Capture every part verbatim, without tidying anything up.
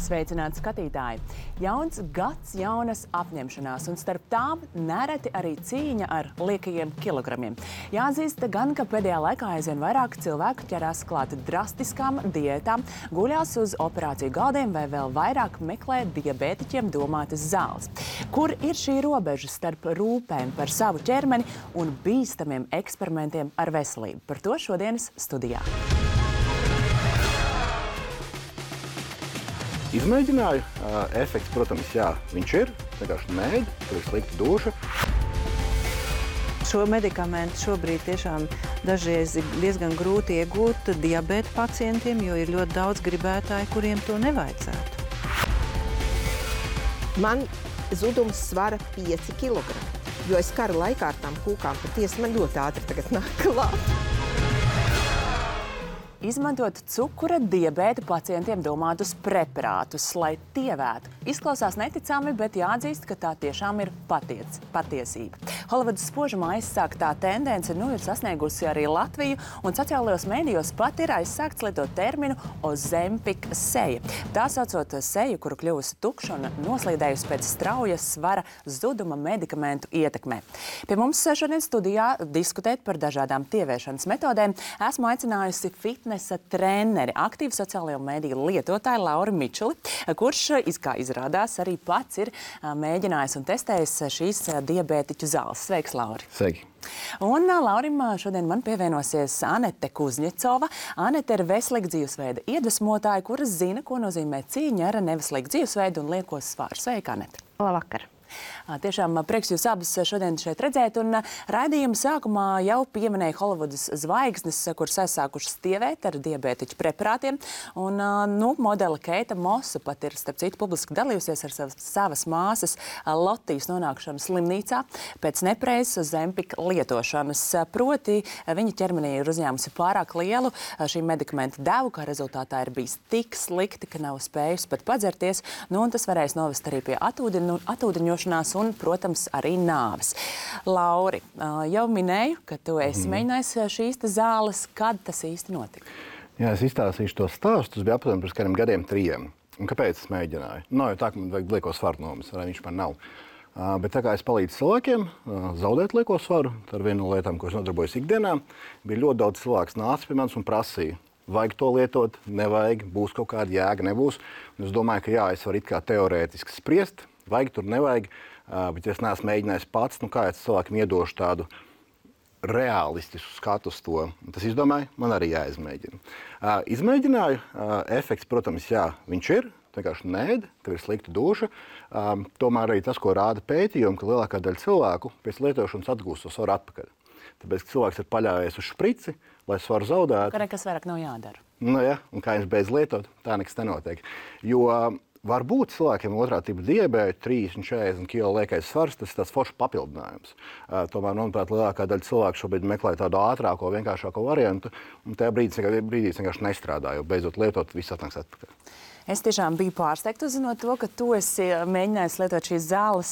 Sveicināti skatītāji! Jauns gads, jaunas apņemšanās, un starp tām nereti arī cīņa ar liekajiem kilogramiem. Jāatzīst gan, ka pēdējā laikā aizvien vairāk cilvēku ķerās klāt drastiskām diētām, guļās uz operāciju galdiem vai vēl vairāk meklē diabētiķiem domātas zāles. Kur ir šī robeža starp rūpēm par savu ķermeni un bīstamiem eksperimentiem ar veselību? Par to šodienas studijā. Izmēģināju. Uh, efekts, protams, jā, viņš ir. Vienkārši mēģi, tur ir slikta duša. Šo medikamentu šobrīd tiešām dažreiz ir diezgan grūti iegūt diabēta pacientiem, jo ir ļoti daudz gribētāju, kuriem to nevajadzētu. Man zudums svara pieci kilogrami, jo es kara laikā ar tām kūkām patiesi man ļoti ātri tagad nāk klāt. Izmantot cukura diabēta pacientiem domātus preparātus, lai tievētu. Izklausās neticami, bet jāatzīst, ka tā tiešām ir patiec, patiesība. Holivudas spožumā aizsāktā tendence nu ir sasniegusi arī Latviju, un sociālajos mēdījos pat ir aizsākts lietot terminu Ozempic seja. Tā saucot seju, kuru kļuvusi tukša un noslīdējusi pēc straujas svara zuduma medikamentu ietekmē. Pie mums šodien studijā diskutēt par dažādām tieviešanas metodēm esmu aicinājusi fitnesa treneri, aktīvu sociālajo mēdīju lietotāju Lauru Mičuli, kurš, kā izrādās, arī pats ir mēģinājis un testējis šīs diabētiķu zāles. Sveiks, Lauri! Sveiki! Un Laurim šodien man pievienosies Anete Kuzņecova. Anete ir veselīga dzīvesveida iedvesmotāja, kuras zina, ko nozīmē cīņa ar neveselīgu dzīvesveidu un lieko svaru. Sveika, Anete! Labvakar! Tiešām prieks jūs abas šodien šeit redzēt, un raidījuma sākumā jau pieminēja Holivudas zvaigznes, kuras aizsākušas tievēt ar diabētiķu preparātiem, un nu, modele Keita Mosa pat ir, starp citu, publiski dalījusies ar savas, savas māsas Lotijas nonākšanu slimnīcā pēc nepreizes Ozempic lietošanas. Proti, viņa ķermenī ir uzņēmusi pārāk lielu šī medikamenta devu, kā rezultātā ir bijis tik slikti, ka nav spējusi pat padzerties, nu, un tas varēs novest arī pie atūdeņu, atūdeņošanās un, protams, arī nāves. Lauri, jau minēju, ka tu esi mm. mēģinājis šīs zāles. Kad tas īsti notika? Jā, es izstāstīšu to stāstu. Tas bija aptuveni pirms kādiem gadiem trījiem. Un kāpēc es mēģināju? Nav jau tā, ka man vajag lieko svaru nomas, vai viņš man nav. Uh, bet tā kā es palīdzu cilvēkiem uh, zaudēt lieko svaru, tā ir viena no lietām, ko es nodarbojos ikdienā, bija ļoti daudz cilvēks nāca pie manis un prasīja, vajag to lietot, nevajag, būs kaut kāda jēga, nebūs. Un es domāju, ka jā, es varu it kā teorētiski spriest, vajag tur, nevajag. Uh, bet es neesmu mēģinājis pats, nu kā es cilvēkiem iedošu tādu realistisku skatu uz to. Tas izdomāju, man arī jāizmēģina. Uh, izmēģināju, uh, efekts, protams, jā, viņš ir, vienkārši nēd, ka ir slikta duša. Uh, tomēr arī tas, ko rāda pētījumi, ka lielākā daļa cilvēku pēc lietošanas atgūst to svaru atpakaļ. Tāpēc, ka cilvēks ir paļāvies uz šprici, lai svaru zaudētu. Ka nekas vairāk nav jādara. Nu jā, un kā viņš beidz lietot, tā nekas nenotiek. Jo varbūt cilvēkiem otrā tipa diabēta, trīsdesmit četrdesmit kilo liekais svars, tas ir tāds foršs papildinājums. Uh, tomēr, manuprāt, lielākā daļa cilvēku šobrīd meklē tādu ātrāko, vienkāršāko variantu, un tajā brīdī brīdīs vienkārši nestrādā, jo beidzot lietot, viss atnāks atpakaļ. Es tiešām biju pārsteigta uzzinot to, ka tu esi mēģinājis lietot šīs zāles,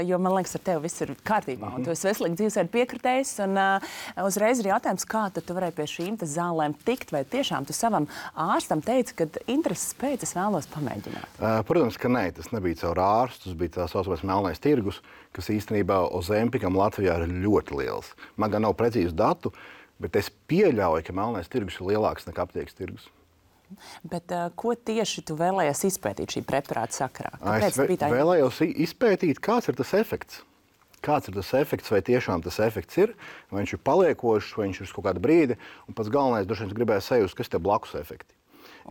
jo man liekas, ar tevi viss ir kārtībā. Un tu esi veselīgi dzīvesveidu piekritējis, un uh, uzreiz ir jautājums, kā tad tu varēji pie šīm zālēm tikt, vai tiešām tu savam ārstam teici, ka intereses pēc es vēlos pamēģināt? Uh, protams, ka nē, tas nebija caur ārstu, tas bija tā saucamais melnais tirgus, kas īstenībā Ozempicam Latvijā ir ļoti liels. Man gan nav precīzu datu, bet es pieļauju, ka melnais tirgus ir lielāks nekā aptiekas tirgus. Bet uh, ko tieši tu vēlējies izpētīt šī preparāta sakarā? Kāpēc es tā... vēlējos izpētīt, kāds ir tas efekts. Kāds ir tas efekts, vai tiešām tas efekts ir, vai viņš ir paliekošs, vai viņš ir uz kaut kādu brīdi. Un pats galvenais, droši vien, gribēju sajust, kas ir tie blakus efekti.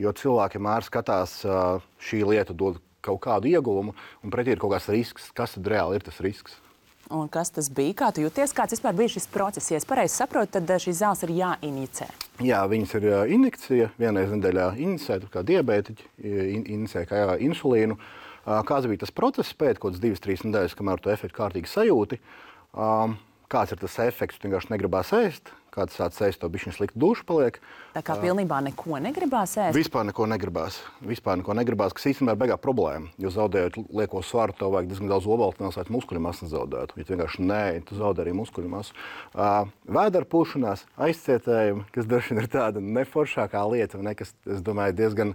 Jo cilvēki vienmēr skatās, uh, šī lieta dod kaut kādu ieguvumu, un pretī ir kaut kāds risks. Kas tad reāli ir tas risks? Un kas tas bija? Kā tu jūties? Kāds vispār bija šis process? Ja es pareizi saprotu, tad šīs zāles ir jāinjicē. Jā, viņas ir injekcija. Vienreiz nedēļā injicē, kā diabētiķi injicē kā jā, insulīnu. Kāds bija tas process pēc kaut kādas divas, trīs nedēļas, kamēr tu efektu kārtīgi sajūti? Kāds ir tas efekts? Tu vienkārši negribās ēst. Kāds sāc ēst, to bišķiņ slikta duša paliek. Tā kā pilnībā neko negribās ēst? Vispār neko negribās. Vispār neko negribās, kas īstenībā ir beigā problēma. Jo zaudējot lieko svaru, tev vajag diezgan daudz obaltināls, lai muskuļu masu nezaudētu. Ja tu vienkārši nē, tu zaudē arī muskuļu masu. Uh, vēdera pūšanās, aizcietējumi, kas droši vien ir tāda neforšākā lieta, ne, kas, es domāju, diezgan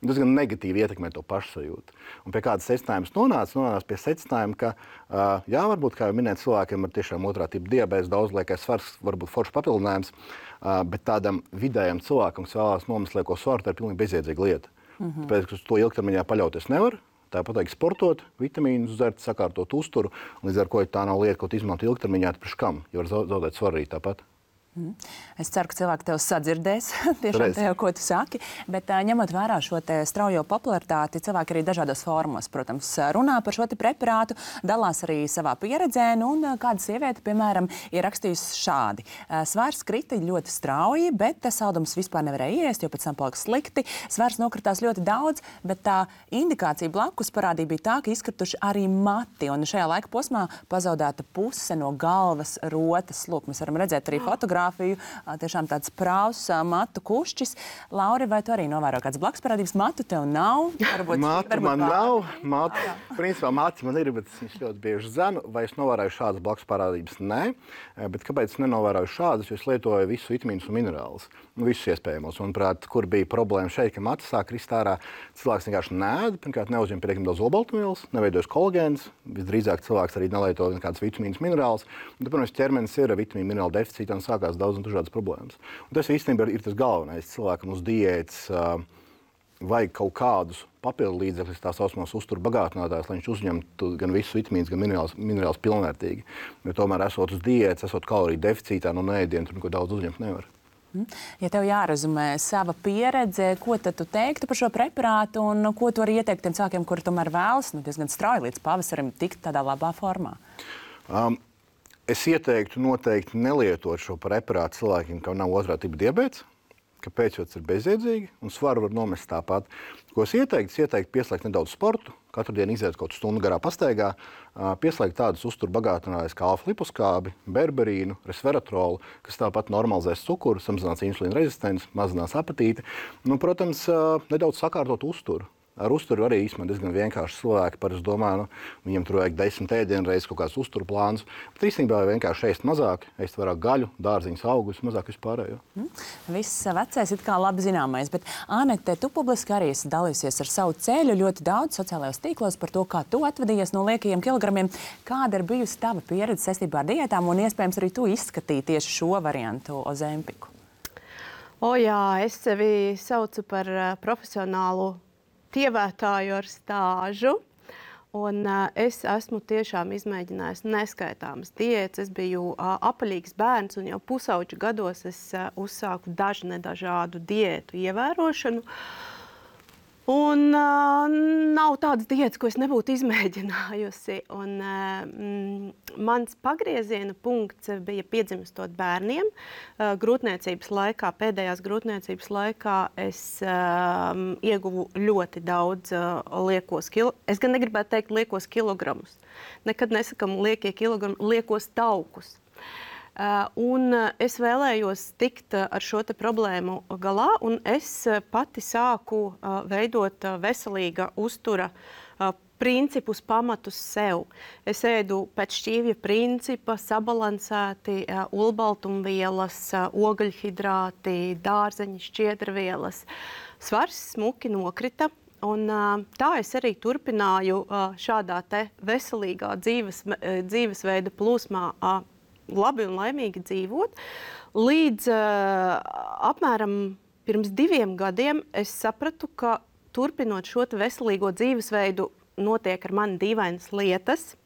Tas gan negatīvi ietekmē to pašsajūtu. Un pie kādas secinājumas nonāca, nonāca pie secinājuma, ka, uh, jā, varbūt, kā jau minēt, cilvēkiem ar tiešām otrā tipa diabēts, daudzliekais svars, varbūt foršs papildinājums, uh, bet tādam vidējam cilvēkam, kas vēlās nomest lieko svaru, tā ir pilnīgi bezjēdzīga lieta. Mm-hmm. Tāpēc, ka uz to ilgtermiņā paļauties nevar. Tāpat vajag sportot, vitamīnus dzert, sakārtot uzturu, un līdz ar ko tā nav lieta, ko izmantot ilgtermiņā, priekš kam, jo var zaudēt svaru arī tāpat. Es ceru, ka cilvēki tev sadzirdēs, tiešām tajā, ko tu saki, bet uh, ņemot vērā šo te straujo popularitāti, cilvēki arī dažādos fórumos, protams, runā par šo te preparātu, dalās arī savā pieredzē, nu, un uh, kāda sieviete, piemēram, ir rakstījusi šādi. Uh, svars krita ļoti strauji, bet saldums vispār nevarēja iest, jo pēc tam palika slikti. Svars nokritās ļoti daudz, bet tā indikācija blakus parādīja bija tā, ka izkrituši arī mati, un šajā laika posmā pazaudēta puse no galvas rotas. Lūk, mēs varam redzēt arī fotogrāfiju. Tiešām tāds prāvs matu kušķis. Lauri, vai tu arī novēro kādas blakus parādības? Matu tev nav? Varbūt, matu varbūt man pār... nav. Matu, principā matu man ir, bet es ļoti bieži zenu. Vai es novēroju šādas blakus parādības? Nē. Bet kāpēc es nenovēroju šādas? Jo es lietoju visu vitamīnus un minerālus. Nu, visus iespējamos. Manuprāt, kur bija problēma šeit, ka matu sāk krist ārā, cilvēks vienkārši nēd, pirmkārt neuzņem pietiekami daudz olbaltumvielas, neveidojas kolagēns. Visdrīzāk cilvēks arī nelieto nekādas vitamīnus, minerālus. Un, protams, ķermenis ir vitamīnu minerālu deficītā un sākās daudz un dažādas problēmas. Un tas īstenībā ir, ir tas galvenais. Cilvēkam uz diētas uh, vajag kaut kādus papildu līdzekļus, tā saucamās uzturu bagātinātājus, lai viņš uzņemtu gan visus vitamīnus, gan minerālus, minerālus pilnvērtīgi. Jo tomēr esot uz diētas, esot kaloriju deficītā no neēdiena, tur neko daudz uzņemt nevar. Ja tev jārezumē sava pieredze, ko tad tu teiktu par šo preparātu un ko tu arī ieteikt tiem cilvēkiem, kuri tomēr vēlas, nu, diezgan strauji līdz pavasarim tikt tādā labā formā? Um, Es ieteiktu noteikti nelietot šo preparātu cilvēkiem, kam nav otrā tipa diabēts. Kāpēc? Jo tas ir bezjēdzīgi un svaru var nomest tāpat. Ko es ieteiktu? Es ieteiktu pieslēgt nedaudz sportu, katru dienu iziet kaut stundu garā pastaigā, pieslēgt tādus uzturu bagātinātājus kā alfa-liposkābi, berberīnu, resveratrolu, kas tāpat normalizēs cukuru, samazinās insulīna rezistenci, mazinās apetīti. Nu, protams, nedaudz sakārtot uzturu. Ar uzturu arī īstenībā diezgan vienkārši cilvēki. Par es domāju, nu, viņiem tur vajag desmit ēdienu reizes kaut kāds uzturu plāns. Bet īstenībā vienkārši ēst mazāk, ēst vairāk gaļu, dārziņus, augus, mazāk vispārējo. Mm. Viss vecais ir kā labi zināmais, bet Anete, tu publiski arī esi dalījusies ar savu ceļu ļoti daudz sociālajos tīklos par to, kā tu atvadījies no liekajiem kilogramiem. Kāda ir bijusi tava pieredze saistībā ar diētām un iespējams arī tu izskatīji tieši šo variantu Ozempiku? O jā, es sevi saucu par uh, profesionālu tievētāju ar stāžu, un uh, es esmu tiešām izmēģinājis neskaitāmas diētas. Es biju uh, apaļīgs bērns, un jau pusauģu gados es uh, uzsāku dažu nedažādu diētu ievērošanu. Un uh, nav tādas diētas, ko es nebūtu izmēģinājusi. Un, uh, mans pagrieziena punkts bija piedzimstot bērniem. Uh, grūtniecības laikā, pēdējās grūtniecības laikā es uh, ieguvu ļoti daudz uh, liekos kilogramus. Es gan negribētu teikt liekos kilogramus. Nekad nesakam liekie kilogrami, liekos taukus. Uh, un es vēlējos tikt ar šo te problēmu galā, un es pati sāku uh, veidot uh, veselīga uztura uh, principus, pamatus sev. Es ēdu pēc šķīvja principa, sabalansēti uh, olbaltumvielas, uh, ogļhidrāti, dārzeņi, šķiedrvielas. Svars smuki nokrita. Un, uh, tā es arī turpināju uh, šādā te veselīgā dzīves, uh, dzīvesveida plūsmā uh, labi un laimīgi dzīvot. Līdz uh, apmēram pirms diviem gadiem es sapratu, ka turpinot šo veselīgo dzīvesveidu notiek ar mani dīvainas lietas.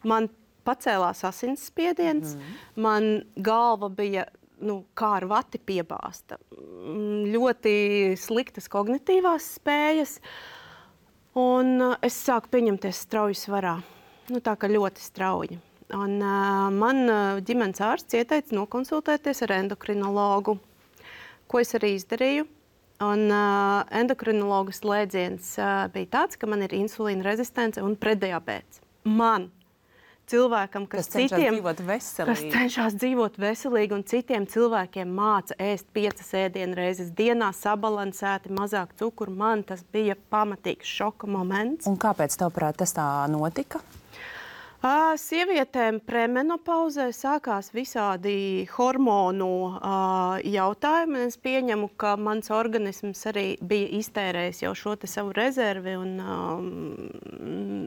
Man pacēlās asinsspiediens, mm. man galva bija nu, kā ar vati piebāzta. Ļoti sliktas kognitīvās spējas, un uh, es sāku pieņemties strauji svarā. Nu, tā kā ļoti strauji. Un, uh, man uh, ģimenes ārsts ieteica nokonsultēties ar endokrinologu, ko es arī izdarīju. Un, uh, endokrinologa slēdziens uh, bija tāds, ka man ir insulīna rezistence un preddiabēts. Man, cilvēkam, kas, kas cenšas citiem, dzīvot veselīgi. kas cenšas dzīvot veselīgi un citiem cilvēkiem māca ēst piecas ēdienu reizes dienā, sabalansēti, mazāk cukuru, man tas bija pamatīgs šoka moments. Un kāpēc, tavuprāt, tas tā notika? Uh, sievietēm premenopauzē sākās visādi hormonu uh, jautājumi. Es pieņemu, ka mans organisms arī bija iztērējis jau šo te savu rezervi un um,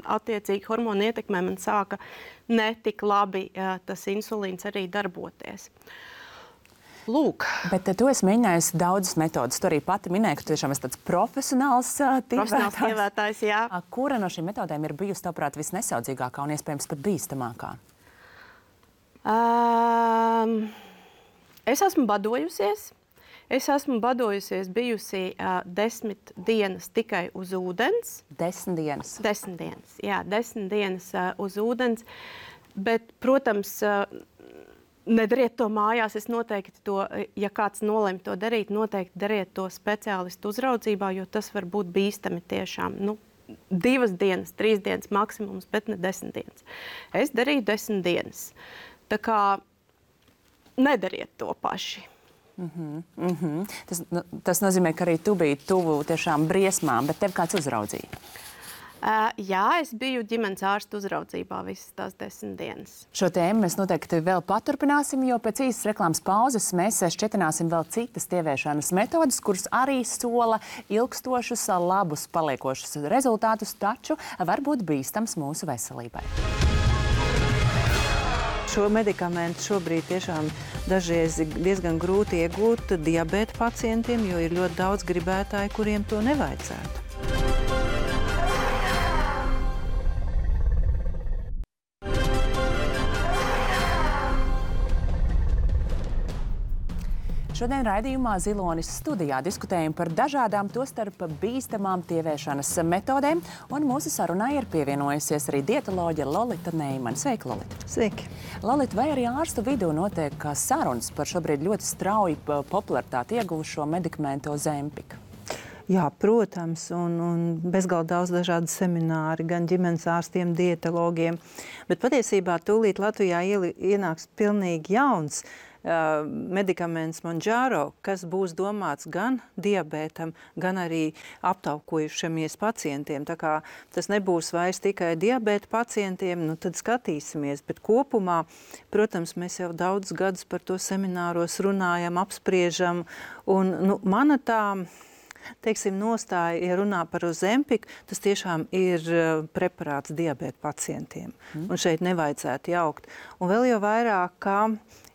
attiecīgi hormonu ietekmē man sāka netik labi uh, tas insulīns arī darboties. Lūk. Bet tu esi mēģinājusi daudzas metodas. Tu arī pati minēji, ka tu tiešām esi tāds profesionāls Profesionāls tievētājs, jā. Kura no šīm metodēm ir bijusi, tavuprāt, visnesaudzīgākā un iespējams pat bīstamākā? Um, es esmu badojusies. Es esmu badojusies, bijusi uh, desmit dienas tikai uz ūdens. Desmit dienas? Desmit dienas, jā, desmit dienas uh, uz ūdens. Bet, protams, uh, nedariet to mājās. Es noteikti to, ja kāds nolem to darīt, noteikti dariet to speciālistu uzraudzībā, jo tas var būt bīstami tiešām. Nu, divas dienas, trīs dienas maksimums, bet ne desmit dienas. Es darīju desmit dienas. Tā kā nedariet to paši. Mm-hmm, mm-hmm. Tas, tas nozīmē, ka arī tu biji tuvu tiešām briesmām, bet tev kāds uzraudzīja? Uh, jā, es biju ģimenes ārsta uzraudzībā visas tās desmit dienas. Šo tēmu mēs noteikti vēl paturpināsim, jo pēc īsas reklāmas pauzes mēs šķietināsim vēl citas tieviešanas metodas, kuras arī sola ilgstošus, labus, paliekošus rezultātus, taču var būt bīstams mūsu veselībai. Šo medikamentu šobrīd tiešām dažreiz diezgan grūti iegūt diabēta pacientiem, jo ir ļoti daudz gribētāju, kuriem to nevajadzētu. Šodien raidījumā Zilonis studijā diskutējam par dažādām, tostarp bīstamām tieviešanas metodēm, un mūsu sarunai ir pievienojusies arī dietoloģe Lolita Neimane. Sveika, Lolita! Sveiki! Lolita, vai arī ārstu vidū notiek sarunas par šobrīd ļoti strauji popularitāti ieguvušo medikamentu Ozempiku? Jā, protams, un, un bezgalīgi daudz dažādu semināri, gan ģimenes ārstiem, dietologiem, bet patiesībā tūlīt Latvijā ienāks pilnīgi jauns Uh, medikaments Mounjaro, kas būs domāts gan diabētam, gan arī aptaukojušamies pacientiem. Tā kā tas nebūs vairs tikai diabēta pacientiem, nu tad skatīsimies. Bet kopumā, protams, mēs jau daudz gadus par to semināros runājam, apspriežam. Un nu, mana tā, teiksim, nostāja, ja runā par Ozempiku, tas tiešām ir uh, preparāts diabēta pacientiem. Mm. Un šeit nevajadzētu jaukt. Un vēl jau vairāk, kā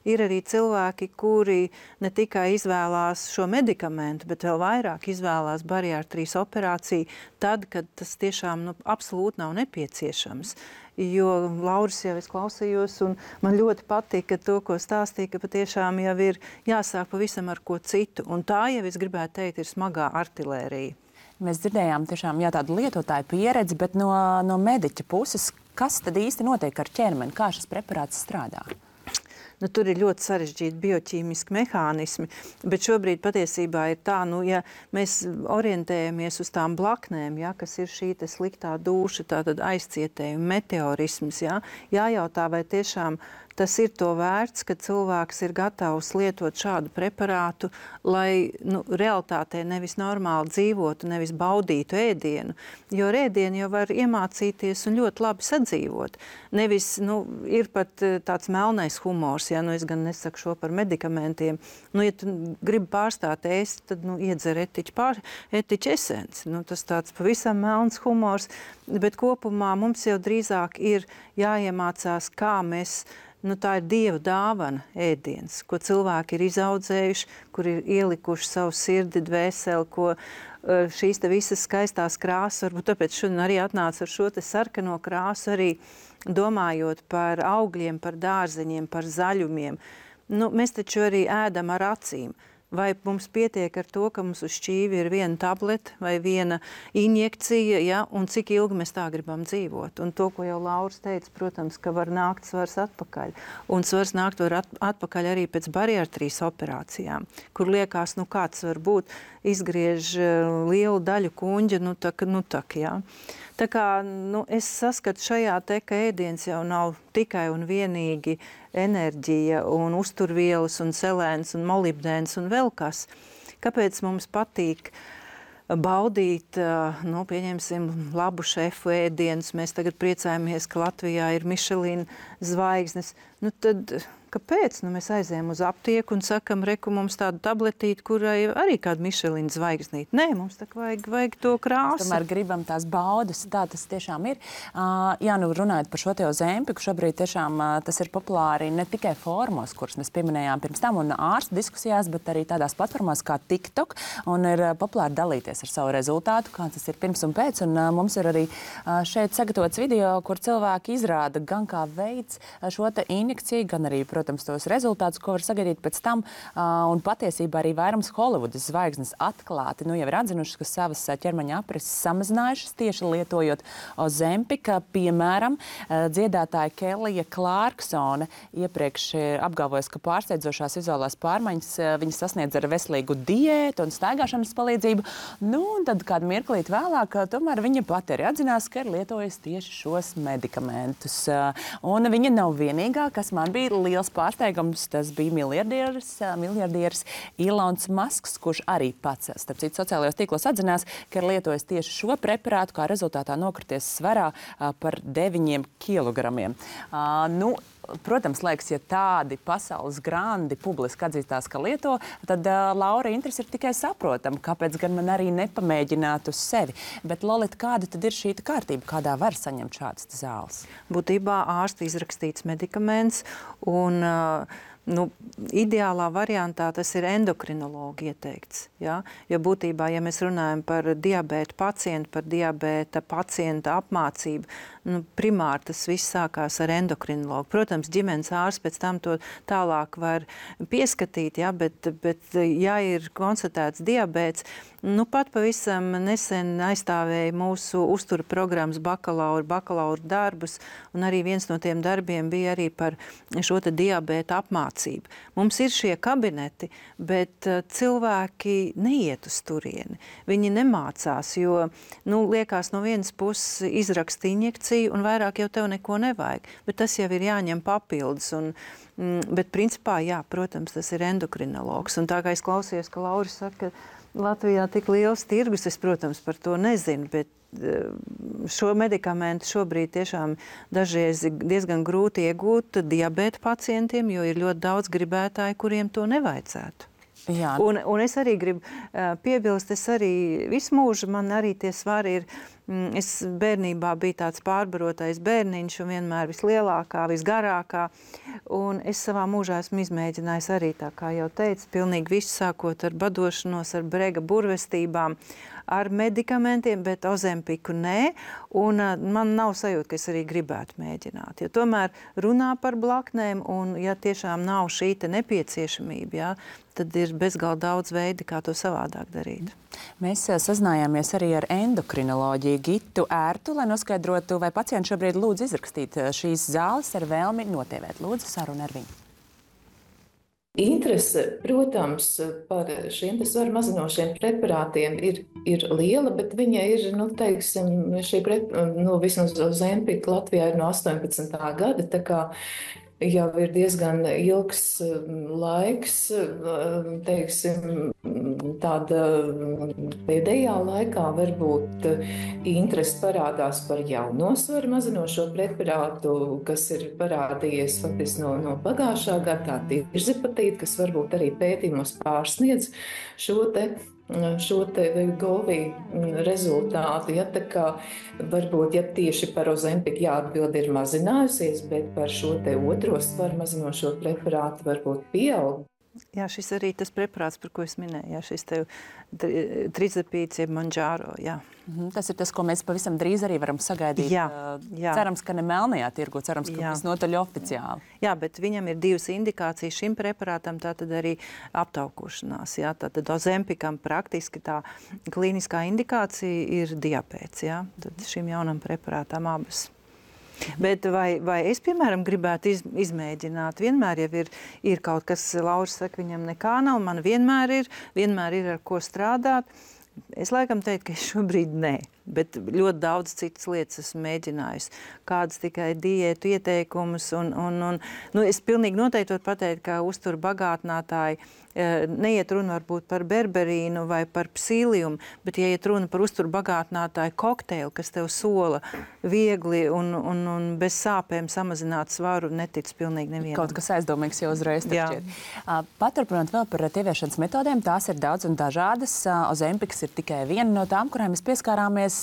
ir arī cilvēki, kuri ne tikai izvēlās šo medikamentu, bet vēl vairāk izvēlās bariātrijas operāciju tad, kad tas tiešām nu, absolūti nav nepieciešams. Jo Lauris jau es klausījos, un man ļoti patika to, ko stāstīja, ka patiešām jau ir jāsāk pavisam ar ko citu. Un tā jau, es gribētu teikt, ir smagā artilērija. Mēs dzirdējām tiešām jā, tādu lietotāju pieredzi, bet no, no mediķa puses, kas tad īsti notiek ar ķermeni? Kā šis preparāts strādā? Nu, tur ir ļoti sarežģīti bioķīmiski mehānismi, bet šobrīd patiesībā ir tā, nu, ja mēs orientējamies uz tām blaknēm, ja, kas ir šī te sliktā dūša, tātad aizcietējumi, meteorisms, ja, jājautā, vai tiešām tas ir to vērts, ka cilvēks ir gatavs lietot šādu preparātu, lai nu, realitātē nevis normāli dzīvotu, nevis baudītu ēdienu, jo ar ēdienu jau var iemācīties un ļoti labi sadzīvot. Nevis, nu, ir pat tāds melnais humors, ja, nu es gan nesaku šo par medikamentiem, nu, ja tu gribi pārstāt ēst, tad, nu, iedzer etiķu pār, etiķu esenci. Nu, tas tāds pavisam melns humors, bet kopumā mums jau drīzāk ir jāiemācās, kā mēs Nu, tā ir Dieva dāvana ēdiens, ko cilvēki ir izaudzējuši, kur ir ielikuši savu sirdi, dvēseli, ko šīs te visas skaistās krāsas, varbūt tāpēc šodien arī atnāca ar šo te sarkano krāsu, arī domājot par augļiem, par dārzeņiem, par zaļumiem. Nu, mēs taču arī ēdam ar acīm. Vai mums pietiek ar to, ka mums uz šķīvi ir viena tableta vai viena injekcija, ja, un cik ilgi mēs tā gribam dzīvot. Un to, ko jau Lauris teica, protams, ka var nākt svars atpakaļ. Un svars nākt var at atpakaļ arī pēc bariātrijas operācijām, kur liekas, nu kāds var būt, izgriež lielu daļu kuņģa, nu tak, nu tak, jā. Tā kā nu, es saskatu šajā te, ka ēdiens jau nav tikai un vienīgi enerģija un uzturvielas un selēns un molibdēns un vēl kas. Kāpēc mums patīk baudīt, nu, pieņemsim, labu šefu ēdienus. Mēs tagad priecājamies, ka Latvijā ir Michelin zvaigznes. Nu, tad kāpēc? Nu, mēs aizējām uz aptieku un sakam, reku mums tādu tabletīti, kurai arī kāda Michelin zvaigznīte. Nē, mums tā vajag, vajag to krāsu. Mēs tomēr gribam tās baudas, tā tas tiešām ir. Uh, jā, nu runājot par šo te Ozempiku, šobrīd tiešām uh, tas ir populāri ne tikai formos, kuras mēs pieminējām pirms tam un ārstu diskusijās, bet arī tādās platformās kā TikTok, un ir uh, populāri dalīties ar savu rezultātu, kā tas ir pirms un pēc, un uh, mums ir arī uh, šeit sagatavots video, kur cilvēki izrāda gan kā veids uh, šo te injekciju, gan arī, protams, tos rezultātus, ko var sagaidīt pēc tam. Uh, un patiesībā arī vairums Holivudas zvaigznes atklāti nu, jau ir atzinušas, ka savas ķermeņa aprises samazinājušas tieši lietojot Ozempika. Piemēram, uh, dziedātāja Kelija Klārksone iepriekš apgalvojas, ka pārsteidzošās vizuālās pārmaiņas uh, viņa sasniedz ar veselīgu diētu un staigāšanas palīdzību. Nu, un tad kādu mirklīt vēlāk, uh, tomēr viņa pati arī atzinās, ka ir lietojusi tieši šos medikamentus. Uh, un viņa nav vienīgā, kas man bija liels pārsteigums. Tas bija miljardieris, miljardieris Ilons Masks, kurš arī pats, starp citu, sociālajos tīklos atzinās, ka ir lietojis tieši šo preparātu, kā rezultātā nokrities svarā par deviņiem kilogramiem. Uh, nu, Protams, liekas, ja tādi pasaules grandi publiski atzīstās, ka lieto, tad uh, Laura interesi ir tikai saprotama, kāpēc gan man arī nepamēģināt uz sevi. Bet, Lolita, kāda tad ir šī kārtība, kādā var saņemt šādas zāles? Būtībā ārsta izrakstīts medikaments un uh, nu, ideālā variantā tas ir endokrinologi ieteikts. Ja? Jo būtībā, ja mēs runājam par diabēta pacientu, par diabēta pacienta apmācību, nu, primāri tas viss sākās ar endokrinologu. Protams, ģimenes ārsts pēc tam to tālāk var pieskatīt, ja? bet, bet ja ir konstatēts diabēts, nu, pat pavisam nesen aizstāvēja mūsu uztura programmas bakalaura, bakalaura darbus, un arī viens no tiem darbiem bija arī par šo te diabēta apmācību. Mums ir šie kabineti, bet uh, cilvēki neiet uz turieni. Viņi nemācās, jo, nu, liekas no vienas puses izrakst injekciju, un vairāk jau tev neko nevajag. Bet tas jau ir jāņem papildus. Un, mm, bet principā, jā, protams, tas ir endokrinologs. Un tā kā es klausījos, ka Laura saka, ka Latvijā tik liels tirgus, es, protams, par to nezinu, bet šo medikamentu šobrīd tiešām dažreiz diezgan grūti iegūt diabēta pacientiem, jo ir ļoti daudz gribētāju, kuriem to nevajadzētu. Jā. Un, un es arī gribu uh, piebilst, es arī visu mūžu, man arī tie svari ir, mm, es bērnībā biju tāds pārbarotais bērniņš un vienmēr vislielākā, visgarākā, un es savā mūžā esmu izmēģinājis arī, tā kā jau teicu, pilnīgi visu sākot ar badošanos, ar brega burvestībām, ar medikamentiem, bet Ozempiku nē, un uh, man nav sajūta, ka es arī gribētu mēģināt, jo tomēr runā par blaknēm, un ja tiešām nav šī te nepieciešamība, jā, tad ir bezgalīgi daudz veidi, kā to savādāk darīt. Mēs sazinājāmies arī ar endokrinoloģiju Gitu Ērtu, lai noskaidrotu, vai pacienti šobrīd lūdz izrakstīt šīs zāles ar vēlmi notievēt. Lūdzu, saruna ar viņu. Interese, protams, par šiem svaru mazinošiem preparātiem ir, ir liela, bet viņa ir, nu, teiksim, šī prep, nu, vismaz Ozempika Latvijā ir no astoņpadsmitā gada, tā kā jau ir diezgan ilgs laiks, teiksim, tāda pēdējā laikā varbūt interesi parādās par jauno svaru mazinošo preparātu, kas ir parādījies faktiski no, no pagājušā gada, tā tirzipatīta, kas varbūt arī pētījumos pārsniedz šo te šo te Wegovy rezultātu, ja, tā kā varbūt, ja tieši par Ozempiku jāatbild ir mazinājusies, bet par šo te otro svaru mazinošo preparātu varbūt pieaug. Jā, šis arī tas preparāts, par ko es minēju, jā, šis tev trizepīts, jeb Mounjaro, jā. Mhm, tas ir tas, ko mēs pavisam drīz arī varam sagaidīt. Jā, jā. Cerams, ka ne melnajā tirgu, cerams, ka visnotaļ oficiāli. Jā, bet viņam ir divas indikācijas šim preparātam, tātad arī aptaukošanās, jā. Tātad Ozempikam praktiski tā klīniskā indikācija ir diabēts, jā. Tad šim jaunam preparātam abas. Bet vai, vai es, piemēram, gribētu iz, izmēģināt? Vienmēr jau ir, ir kaut kas, Laura saka, viņam nekā nav, man vienmēr ir, vienmēr ir ar ko strādāt. Es laikam teiktu, ka šobrīd nē, bet ļoti daudz citas lietas esmu mēģinājusi. Kādas tikai diētu ieteikumus. Un, un, un, nu, es pilnīgi noteikti varu pateikt, ka uzturu bagātinātāji neiet runa varbūt par berberīnu vai par psīliumu, bet ja iet runa par uzturu bagātinātāju kokteili, kas tev sola viegli un, un, un bez sāpēm samazināt svaru, netic pilnīgi nevienam. Kaut kas aizdomīgs jau uzreiz šķiet. Paturpinot vēl par tieviešanas metodēm, tās ir daudz un dažādas. Ozempiks ir tikai viena no tām, kurām mēs pieskārāmies.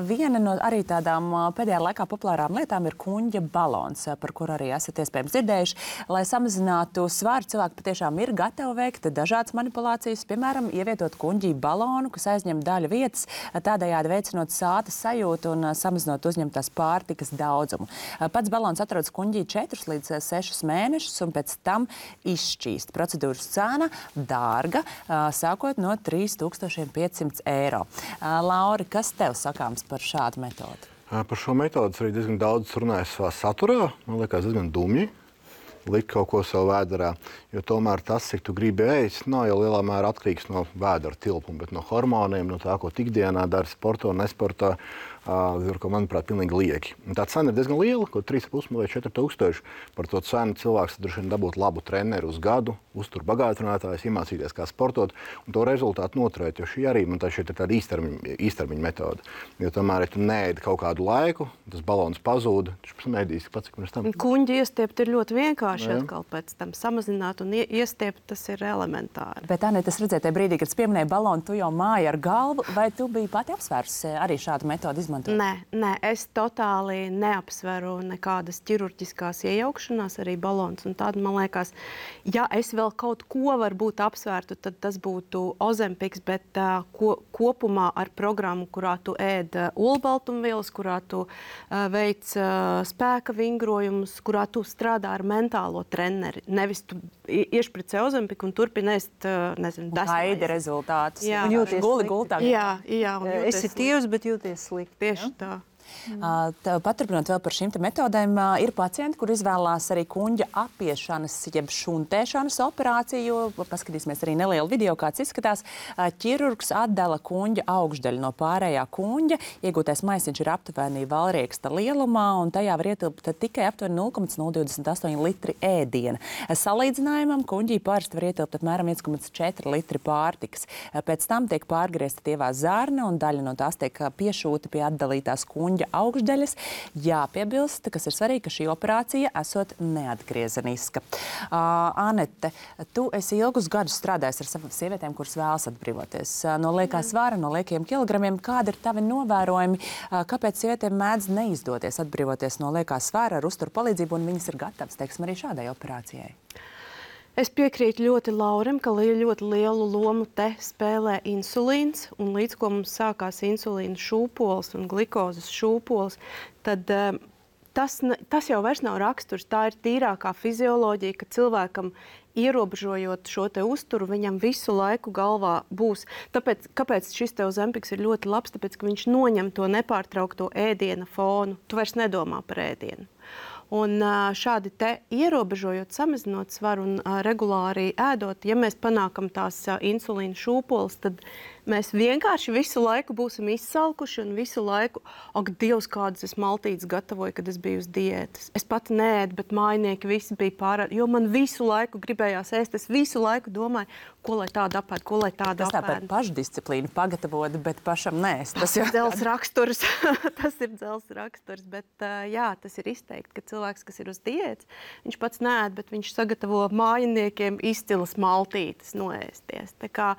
Viena no arī tādām pēdējā laikā populārām lietām ir kuņģa balons, par kuru arī esat iespējams dzirdējuši. Lai samazinātu svaru, cilvēki patiešām ir gatavi veikt dažādas manipulācijas, piemēram, ievietot kuņģī balonu, kas aizņem daļu vietas, tādējādi veicinot sātas sajūtu un samazinot uzņemtās pārtikas daudzumu. Pats balons atrodas kuņģī četrus līdz sešus mēnešus un pēc tam izšķīst. Procedūras cena dārga, sākot no trīs tūkstoši piecsimt eiro. Lauri, kas tev sakāms par šādu metodu? Par šo metodu arī diezgan daudz runāju savā saturā. Man liekas, diezgan dumji likt kaut ko savu vēderā, jo tomēr tas, cik tu gribi ēst, nav jau lielā mērā atkarīgs no vēdera tilpuma, bet no hormoniem, no tā, ko ikdienā dara sportā un nesportā, uh, ko, manuprāt, pilnīgi lieki. Un tā cena ir diezgan liela, ko trīs un pus vai četri tūkstoši. Par to cenu cilvēks droši vien dabūt labu treneru uz gadu, uztur bagātinātājs, iemācīties, kā sportot, un to rezultātu noturēt, jo šī arī, man tā šeit ir tāda īstermiņa, īstermiņa metode. Jo tomēr, ja tu neēdi kaut kādu laiku, tas balons pazūda, tas pēc mēdīs, pats, cik mēs tam. Kuņģi iestiept ir ļoti vienkārši. Atkal pēc tam samazināt un iestiept, tas ir elementāri. Bet, Anita, es redzēju, tajā brīdī, kad es pieminēju balonu, tu jau māji ar galvu, vai tu biji pati apsvērusi arī šādu metodu izmantot? Nē, nē, es totāli neapsveru nekādas ķirurģiskās iejaukšanās, arī balons un tāda, man liekas, ja es vēl kaut ko varbūt apsvērtu, tad tas būtu Ozempiks, bet uh, ko, kopumā ar programmu, kurā tu ēd uh, olbaltumvielas, kurā tu uh, veic uh, spēka vingrojumus, kurā tu strādā ar mentālu treneri. Nevis tu iešpricē Ozempiku un turpini ēst, nezinu, desmit. Gaidi rezultātus. Jā, un jūties guli gultāk. Jā, jā. Esi tievs, bet jūties slikti. Tieši tā. Uh, paturpinot vēl par šīm metodēm, uh, ir pacienti, kur izvēlās arī kuņģa apiešanas, jeb šuntēšanas operāciju. Paskatīsimies arī nelielu video, kāds izskatās. Uh, ķirurgs atdala kuņģa augšdaļu no pārējā kuņģa. Iegūtais maisiņš ir aptuveni valrieksta lielumā, un tajā var ietilpt tikai aptuveni nulle komats nulle divdesmit astoņi litri ēdiena. Salīdzinājumam kuņģī parasti var ietilpt apmēram viens komats četri litri pārtikas. Uh, pēc tam tiek pārgriezta tievā zarna, un daļa no tās tiek piešūta pie atdalītās kuņģa augšdaļas. Jāpiebilst, kas ir svarīgi, ka šī operācija esot neatgriezeniska. Uh, Anete, tu esi ilgus gadus strādājis ar savām sievietēm, kuras vēlas atbrīvoties uh, no liekā svara, no liekiem kilogramiem. Kādi ir tavi novērojumi, uh, kāpēc sievietēm mēdz neizdoties atbrīvoties no liekā svara ar uzturu palīdzību, un viņas ir gatavas, teiksim, arī šādai operācijai? Es piekrītu ļoti Laurim, ka ļoti lielu lomu te spēlē insulīns, un līdz ko mums sākās insulīna šūpoles un glikozes šūpoles, tad um, tas, tas jau vairs nav raksturs. Tā ir tīrākā fizioloģija, ka cilvēkam ierobežojot šo te uzturu, viņam visu laiku galvā būs. Tāpēc, kāpēc šis te Ozempiks ir ļoti labs? Tāpēc, ka viņš noņem to nepārtraukto ēdiena fonu. Tu vairs nedomā par ēdienu. Un šādi te ierobežojot, samazinot svaru un regulāri ēdot, ja mēs panākam tās insulīna šūpoles, tad mēs vienkārši visu laiku būsim izsalkuši un visu laiku, ak, Dievs, kādas es maltītes gatavoju, kad es biju uz diētas. Es pati neēdu, bet mājinieki visi bija pārāk, jo man visu laiku gribējās ēst. Es visu laiku domāju, ko lai tāda apēd, ko lai tāda apēd. Tas tā par pašdisciplīnu pagatavot, bet pašam nēst. Tas ir dzels raksturs. Tas ir dzels raksturs, bet jā, tas ir izteikti, ka cilvēks, kas ir uz diētas, viņš pats neēd, bet viņš sagatavo mājiniekiem izcilas maltītes noēsties. Tā kā,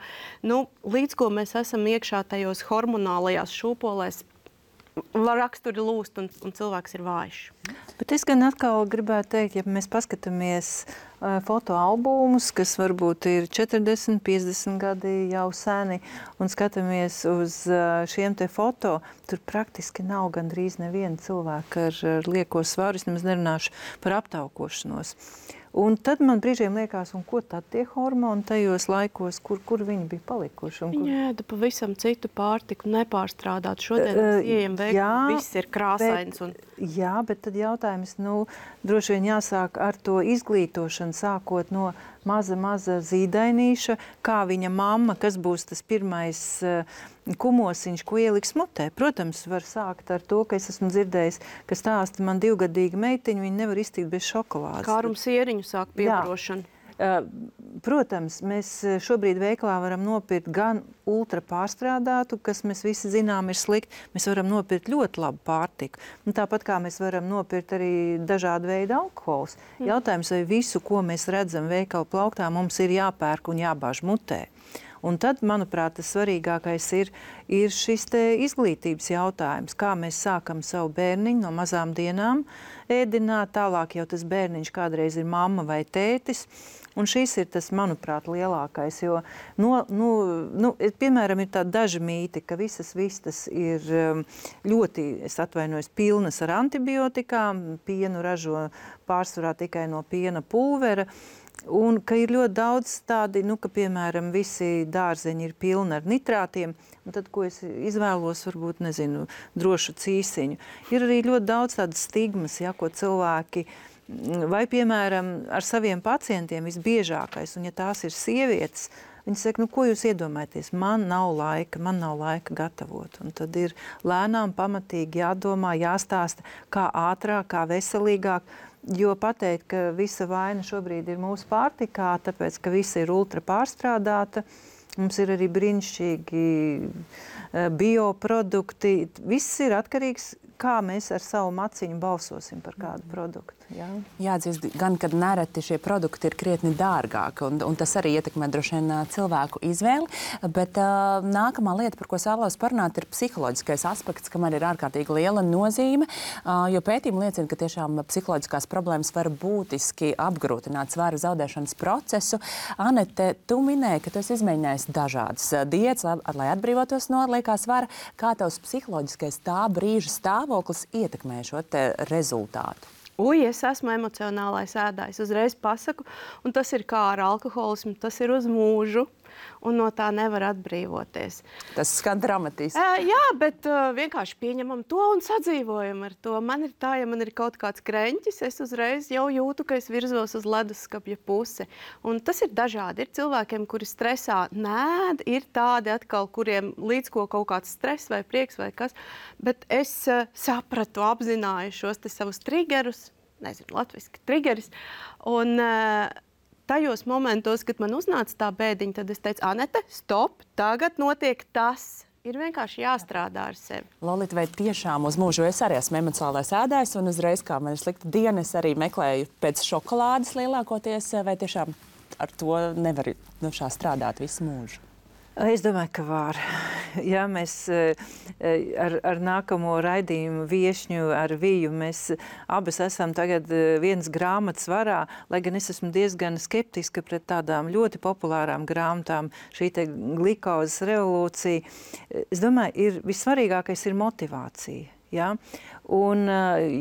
nu, līdz ko mēs esam iekšā tajos hormonālajās šūpolēs, raksturi lūst un, un cilvēks ir vājš. Bet es gan atkal gribētu teikt, ja mēs paskatāmies uh, fotoalbumus, kas varbūt ir četrdesmit, piecdesmit gadi jau seni, un skatāmies uz uh, šiem te foto, tur praktiski nav gandrīz neviena cilvēka ar, ar lieko svaru, es nemaz nerunāšu par aptaukošanos. Un tad man brīžiem liekas, un ko tad tie hormoni tajos laikos, kur, kur viņi bija palikuši? Un kur... Viņi ēda pavisam citu pārtiku, nepārstrādāt. Šodien mēs ieejam veikli, viss ir krāsains. Un... Jā, bet tad jautājums, nu, droši vien jāsāk ar to izglītošanu, sākot no maza, maza zīdainīša, kā viņa mamma, kas būs tas pirmais kumosiņš, ko ieliks mutē. Protams, var sākt ar to, ka es esmu dzirdējis, ka stāsta man divgadīga meitiņa, viņa nevar iztikt bez šokolādes. Kārum sieriņu sāk piebarošanu. Protams, mēs šobrīd veikalā varam nopirkt gan ultra pārstrādātu, kas mēs visi zinām ir slikti. Mēs varam nopirkt ļoti labu pārtiku. Un tāpat kā mēs varam nopirkt arī dažādu veidu alkohols. Mm. Jautājums, vai visu, ko mēs redzam veikalu plauktā, mums ir jāpērk un jābāž mutē. Un tad, manuprāt, tas svarīgākais ir, ir šis te izglītības jautājums, kā mēs sākam savu bērniņu no mazām dienām ēdināt, tālāk jau tas bērniņš kādreiz ir mamma vai tētis. Un šis ir tas, manuprāt, lielākais, jo, no, nu, nu, piemēram, ir tādi daži mīti, ka visas vistas ir ļoti, es atvainojos, pilnas ar antibiotikām, pienu ražo pārsvarā tikai no piena pulvera, un ka ir ļoti daudz tādi, nu, ka, piemēram, visi dārzeņi ir pilni ar nitrātiem, un tad, ko es izvēlos, varbūt, nezinu, drošu cīsiņu. Ir arī ļoti daudz tādas stigmas, ja, ko cilvēki vai, piemēram, ar saviem pacientiem visbiežākais, un ja tās ir sievietes, viņi saka, nu, ko jūs iedomājaties? Man nav laika, man nav laika gatavot. Un tad ir lēnām pamatīgi jādomā, jāstāsta, kā ātrāk, kā veselīgāk, jo pateikt, ka visa vaina šobrīd ir mūsu pārtikā, tāpēc, ka visa ir ultra pārstrādāta, mums ir arī brīnišķīgi bioprodukti, viss ir atkarīgs, kā mēs ar savu maciņu balsosim par kādu produktu. Jā, Jāatzīst, gan, kad nereti šie produkti ir krietni dārgāki, un, un tas arī ietekmē droši vien cilvēku izvēli, bet uh, nākamā lieta, par ko es vēlos parunāt, ir psiholoģiskais aspekts, kam arī ir ārkārtīgi liela nozīme, uh, jo pētījumi liecina, ka tiešām psiholoģiskās problēmas var būtiski apgrūtināt svara zaudēšanas procesu. Anete, tu minēji, ka tu esi izmēģinājis dažādas diētas, lai, lai atbrīvotos no liekā svara. Kā tavs psiholoģiskais tā brīža stāvoklis ietekmē šo te rezultātu? Uj, es esmu emocionālais ēdājs, uzreiz pasaku, un tas ir kā ar alkoholismu, tas ir uz mūžu, un no tā nevar atbrīvoties. Tas skan dramatiski. Uh, jā, bet uh, vienkārši pieņemam to un sadzīvojam ar to. Man ir tā, ja man ir kaut kāds kreņķis, es uzreiz jau jūtu, ka es virzos uz leduskapja pusi. Un tas ir dažādi. Ir cilvēkiem, kuri stresā nēd, ir tādi atkal, kuriem līdz ko kaut kāds stress vai prieks vai kas. Bet es uh, sapratu, apzināju šos te savus triggerus, nezinu, latviski triggeris, un uh, tajos momentos, kad man uznāca tā bēdiņa, tad es teicu, Anete, stop, tagad notiek tas. Ir vienkārši jāstrādā ar sevi. Lolita, vai tiešām uz mūžu es arī esmu emocionālais ēdājs, un uzreiz, kā man ir slikta diena, es arī meklēju pēc šokolādes lielākoties, vai tiešām ar to nevar nu, šā strādāt visu mūžu? Es domāju, ka var. Jā, mēs ar, ar nākamo raidījumu viešņu, ar Viju, mēs abas esam tagad vienas grāmatas varā, lai gan es esmu diezgan skeptiska pret tādām ļoti populārām grāmatām, šī te glikozes revolūcija. Es domāju, ir, vissvarīgākais ir motivācija. Ja? Un,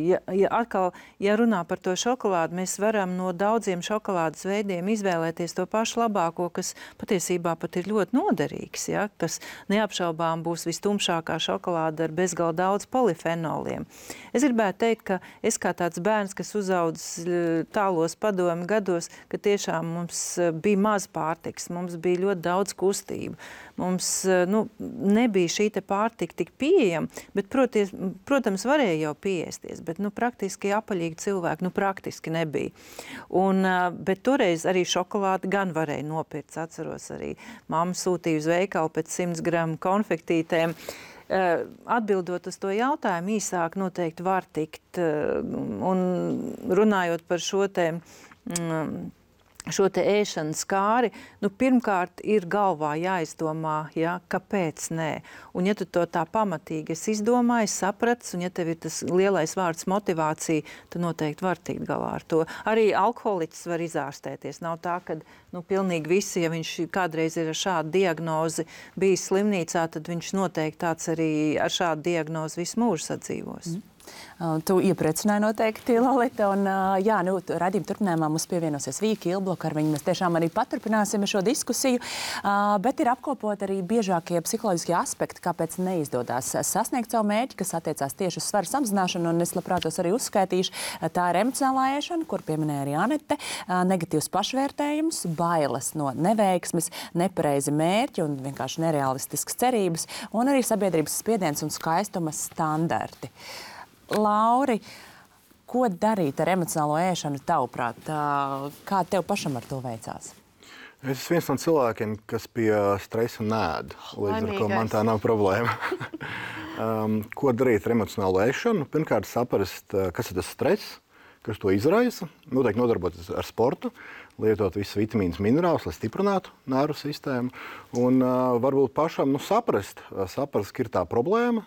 ja, ja atkal, ja runā par to šokolādu, mēs varam no daudziem šokolādes veidiem izvēlēties to pašu labāko, kas patiesībā pat ir ļoti noderīgs. Ja? Kas neapšaubām būs vistumšākā šokolāde ar bezgalā daudz polifenoliem. Es gribētu teikt, ka es kā tāds bērns, kas uzaudzis tālos padomu gados, ka tiešām mums bija maz pārtiks, mums bija ļoti daudz kustību. Mums nu, nebija šī te pārtika tik pieejama, bet, proties, protams, varēja jau pieēsties, bet nu, praktiski apaļīgi cilvēki nu, praktiski nebija. Un, bet toreiz arī šokolādi gan varēja nopirkt. Atceros arī, mamma sūtīja uz veikalu pēc simts gramu konfektītēm. Atbildot uz to jautājumu, īsāk noteikti var tikt. Un runājot par šo te... Mm, šo te ēšanas kāri, nu, pirmkārt ir galvā jāizdomā, ja, kāpēc nē. Un ja tu to tā pamatīgi esi izdomājis, sapratis, un ja tev ir tas lielais vārds motivācija, tad noteikti var tikt galā ar to. Arī alkoholiķis var izārstēties. Nav tā, ka nu, pilnīgi visi, ja viņš kādreiz ir ar šādu diagnozi bijis slimnīcā, tad viņš noteikti tāds arī ar šādu diagnozi visu mūžu sadzīvos. Mm. Tu iepriecināji noteikti, Lolita, un jā, nu, raidījuma turpinājumā mums pievienosies Vija Kilbloka, ar viņu mēs tiešām arī paturpināsim šo diskusiju, bet ir apkopot arī biežākie psiholoģiskie aspekti, kāpēc neizdodas sasniegt savu mērķi, kas attiecās tieši uz svaru samazināšanu, un es labprāt tos arī uzskaitīšu. Tā ir emocionālā ēšana, kur pieminēja arī Anete, negatīvs pašvērtējums, bailes no neveiksmes, nepareizi mērķi un vienkārši nerealistiskas cerības, un arī sabiedrības spiediens un skaistuma standarti. Lauri, ko darīt ar emocionālo ēšanu tavuprāt? Kā tev pašam ar to veicās? Es esmu viens no cilvēkiem, kas pie stresa nēd, līdz ar ko man tā nav problēma. um, ko darīt ar emocionālo ēšanu? Pirmkārt, saprast, kas ir tas stress, kas to izraisa. Noteikti nodarboties ar sportu, lietot visus vitamīnus, minerālus, lai stiprinātu nervu sistēmu. Un uh, varbūt pašam nu, saprast, saprast, ka ir tā problēma,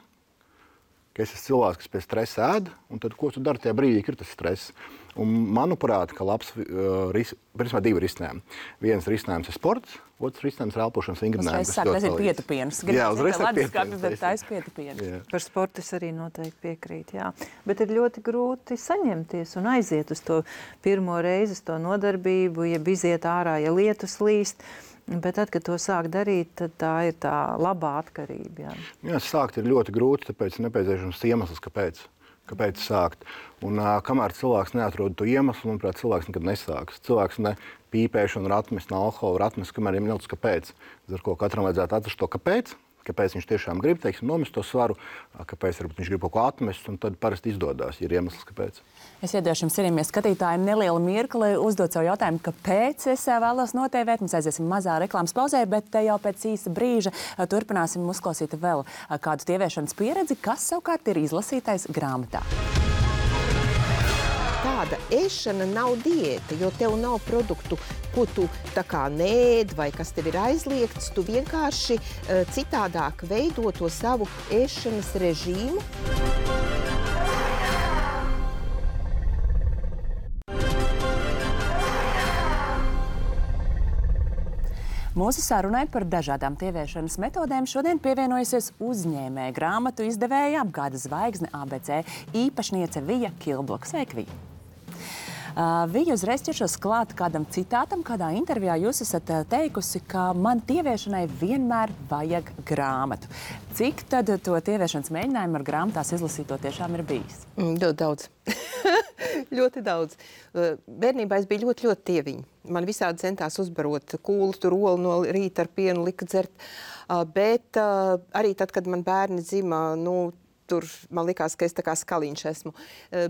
ka es esmu cilvēks, kas pie stresa ēd, un tad ko tu dari tajā brīdī, ka ir tas stress. Un manuprāt, ka labs, uh, ris, principā divi risinājumi. Viens risinājums ir sports, otrs risinājums ir elpošanas vingrinājums. Uzreiz sāk, tas ir pietupiens. Jā, uzreiz sāk pietupiens. Bet tā ir pietupiens. Par sportu es arī noteikti piekrītu, jā. Bet ir ļoti grūti saņemties un aiziet uz to pirmo reizi, uz to nodarbību, ja iziet ārā, ja lietus līst. Bet tad, kad to sāk darīt, tad tā ir tā labā atkarība. Jā, jā sākt ir ļoti grūti, tāpēc ir nepieciešams iemesls, kāpēc. Kāpēc sākt? Un uh, kamēr cilvēks neatrod to iemeslu, manuprāt, cilvēks nekad nesāks. Cilvēks ne pīpēšanu var atmest, ne alkoholu var atmest, kamēr viņam nav kāpēc. Ar ko katram vajadzētu atrast to kāpēc, kāpēc viņš tiešām grib, teiksim, nomest to svaru, kāpēc varbūt viņš grib kaut ko atmest, un tad parasti izdodas, ja ir iemesls, kāpēc. Es iedošu jums, cienījamie skatītāji, nelielu mirkli uzdot savu jautājumu, kāpēc es vēlos notievēt. Mēs aiziesim mazā reklāmas pauzē, bet jau pēc īsa brīža turpināsim uzklausīt vēl kādu tieviešanas pieredzi, kas savukārt ir izlasītais grāmatā. Tāda ēšana nav diēta, jo tev nav produktu, ko tu tā kā nēd vai kas tev ir aizliegts. Tu vienkārši uh, citādāk veido to savu ēšanas režīmu. Mūsu sarunai par dažādām tieviešanas metodēm šodien pievienojusies uzņēmēja grāmatu izdevēja apgādes zvaigzne A B C īpašniece Vija Kilbloka. Sveika, Vija! Uh, Vija, uzreiz ķeršos klāt kādam citātam, kādā intervijā jūs esat uh, teikusi, ka man tieviešanai vienmēr vajag grāmatu. Cik tad to tieviešanas mēģinājumu ar grāmatās izlasīto tiešām ir bijis? Mm, ļoti daudz. ļoti daudz. Uh, bērnībā es biju ļoti, ļoti tieviņa. Man visādi centās uzbarot kūlu, tur olu no rīta ar pienu lika dzert. Uh, bet uh, arī tad, kad man bērni dzima, nu, tur man likās, ka es tā kā skaliņš esmu.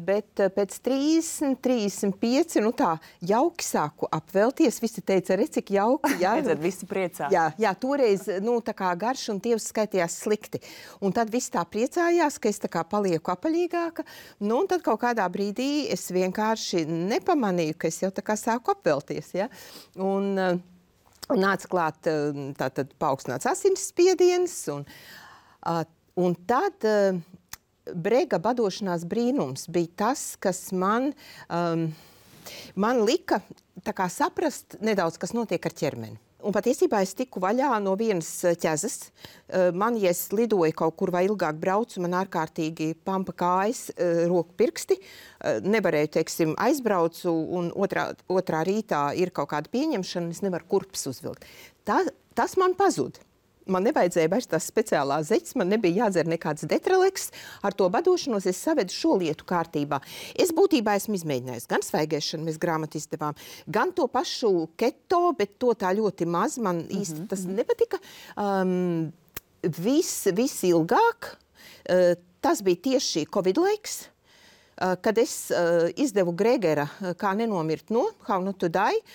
Bet pēc trīsdesmit, trīsdesmit pieci, nu tā, jauki sāku apvelties. Visi teica, re, cik jauki. Jā, tad visi priecā. Jā, jā, toreiz, nu, tā kā garš un tievs skaitījās slikti. Un tad visi tā priecājās, ka es tā kā palieku apaļīgāka. Nu, un tad kaut kādā brīdī es vienkārši nepamanīju, ka es jau tā kā sāku apvelties, ja. Un, un nāca klāt tātad paaugstināts asinsspiediens un Un tad uh, Brega badošanās brīnums bija tas, kas man, um, man lika tā kā saprast nedaudz, kas notiek ar ķermeni. Un patiesībā es tiku vaļā no vienas ķezas. Uh, man, ja es lidoju kaut kur vai ilgāk braucu, man ārkārtīgi pampa kājas, uh, roku pirksti. Uh, nevarēju, teiksim, aizbraucu un otrā, otrā rītā ir kaut kāda pieņemšana, es nevaru kurpes uzvilkt. Tā, tas man pazud. Man nevajadzēja vairs tās speciālās zeķes, man nebija jādzer nekāds detraleks. Ar to badošanos es savedu šo lietu kārtībā. Es būtībā esmu izmēģinājusi gan svaigēšanu, mēs grāmatu izdevām, gan to pašu keto, bet to tā ļoti maz. Man īsti mm-hmm. tas nepatika. Um, viss, viss ilgāk. Uh, tas bija tieši Covid laiks, uh, kad es uh, izdevu Gregera Kā nenomirt no, How not to die,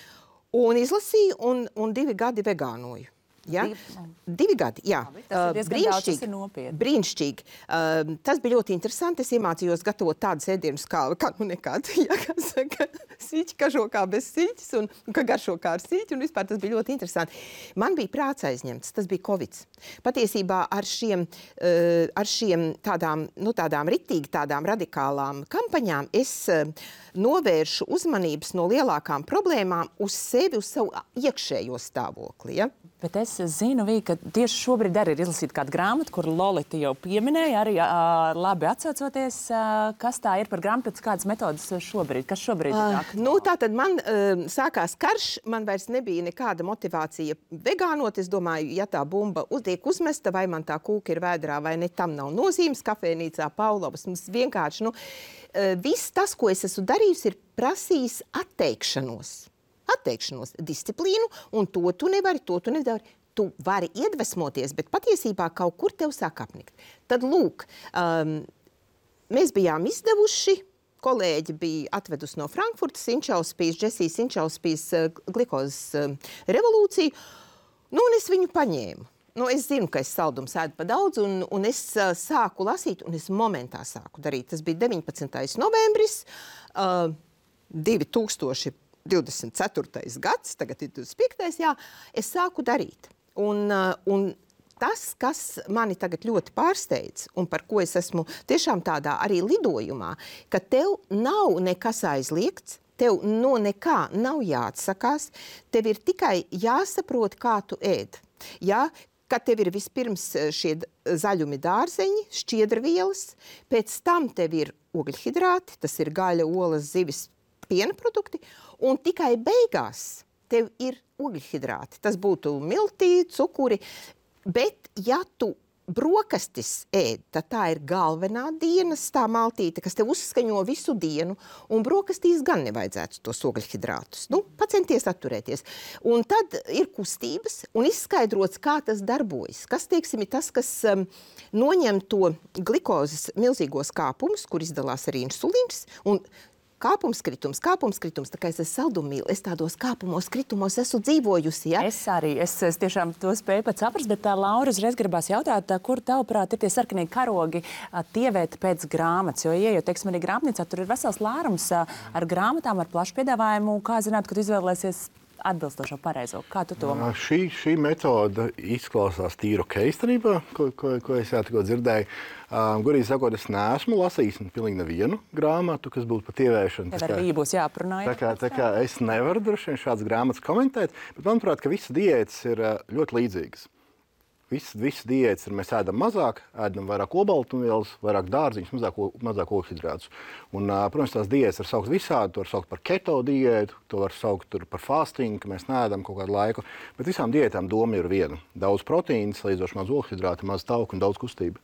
un izlasīju un, un divi gadi vegānoju. Ja? Divi, Divi gadi, jā. Tas ir brīnišķīgi. brīnišķīgi. Uh, tas bija ļoti interesanti. Es iemācījos gatavot tādus ēdienus, kā, kā nu nekādu, ja, kā saka, siļķi kažo kā bez siļķis un ka garšo kā ar siļķi, un vispār tas bija ļoti interesanti. Man bija prāts aizņemts, tas bija Covid. Patiesībā ar šiem, uh, ar šiem tādām, nu, tādām ritīgi, tādām radikālām kampaņām es uh, novēršu uzmanības no lielākām problēmām uz sevi, uz savu iekšējo stāvokli, ja? Bet es zinu, Vī, ka tieši šobrīd arī ir izlasīta kāda grāmata, kur Lolita jau pieminēja, arī uh, labi atsaucoties, uh, kas tā ir par grāmatu, pēc kādas metodas šobrīd, kas šobrīd ir uh, nu, tā tad man uh, sākās karš, man vairs nebija nekāda motivācija vegānot. Es domāju, ja tā bumba tiek uzmesta, vai man tā kūka ir vēdrā, vai ne, tam nav nozīmes. Kafejnīcā Paulovas mums vienkārši, nu, uh, viss tas, ko es esmu darījusi, ir prasījis atteikšanos. Atteikšanos, disciplīnu, un to tu nevari, to tu nevari. Tu vari iedvesmoties, bet patiesībā kaut kur tev sāk apnikt. Tad, lūk, um, mēs bijām izdevuši, kolēģi bija atvedusi no Frankfurtas Inčauspijas, Džesijas Inčauspijas uh, glikozes uh, revolūciju, nu, un es viņu paņēmu. Nu, es zinu, ka es saldumu sēdu pa daudz, un, un es uh, sāku lasīt, un es momentā sāku darīt. Tas bija deviņpadsmitais novembris, uh, divi tūkstoši divdesmit ceturtais gads, tagad ir divdesmit piektais, jā, es sāku darīt. Un, uh, un tas, kas mani tagad ļoti pārsteidz, un par ko es esmu tiešām tādā arī lidojumā, ka tev nav nekas aizliegts, tev no nekā nav jāatsakās, tev ir tikai jāsaprot, kā tu ēd. Jā, ka tev ir vispirms šie zaļumi dārzeņi, šķiedrvielas, pēc tam tev ir ogļhidrāti, tas ir gaļa, olas, zivis, piena produkti, un tikai beigās tev ir ogļhidrāti. Tas būtu miltī, cukuri, bet ja tu brokastis ēd, tad tā ir galvenā dienas tā maltīte, kas tev uzskaņo visu dienu, un brokastīs gan nevajadzētu tos ogļhidrātus. Nu, pacenties atturēties. Un tad ir kustības un izskaidrots, kā tas darbojas. Kas, teiksim, ir tas, kas um, noņem to glikozes milzīgos kāpumus, kur izdalās arī insulīns, un kāpums kritums, kāpums kritums, tā kā es esmu saldumīla, es tādos kāpumos kritumos esmu dzīvojusi, ja? Es arī, es, es tiešām to spēju pat saprast, bet tā Laura uzreiz gribās jautāt, kur tavuprāt ir tie sarkanie karogi tievēt pēc grāmatas, jo ieejot, teiksim, arī grāmatnīcā, tur ir vesels lārums ar grāmatām, ar plašu piedāvājumu, kā zināt, kad izvēlēsies atbilstošo pareizo. Kā tu to? Uh, šī, šī metoda izklausās tīri ok īstenībā, ko, ko, ko es jā tikko dzirdēju. Uh, Gurīgi sakot, es neesmu lasījis pilnīgi nevienu grāmatu, kas būtu par tievēšanu. Tev arī būs jāprunāja. Tā kā, tā kā es nevaru droši vien šādas grāmatas komentēt, bet manuprāt, ka visas diētas ir uh, ļoti līdzīgas. Visas, visas diētas ir, mēs ēdam mazāk, ēdam vairāk olbaltumvielas, vairāk dārziņus, mazāk, mazāk ogļhidrātus. Un, protams, tās diētas var saukt visādi, to var saukt par keto diētu, to var saukt par fasting, ka mēs neēdam kaut kādu laiku. Bet visām diētām doma ir viena. Daudz proteīnas, salīdzinoši maz ogļhidrātu, maz tauku un daudz kustību.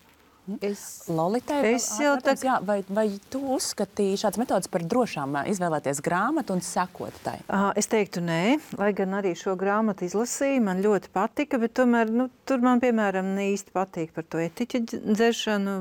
Es, Lolitai, es jau tā... jā, vai, vai tu uzskatīji šādas metodas par drošām izvēlēties grāmatu un sekot tai? Uh, es teiktu nē, lai gan arī šo grāmatu izlasīju, man ļoti patika, bet tomēr, nu, tur man, piemēram, ne īsti patīk par to etiķu dzeršanu,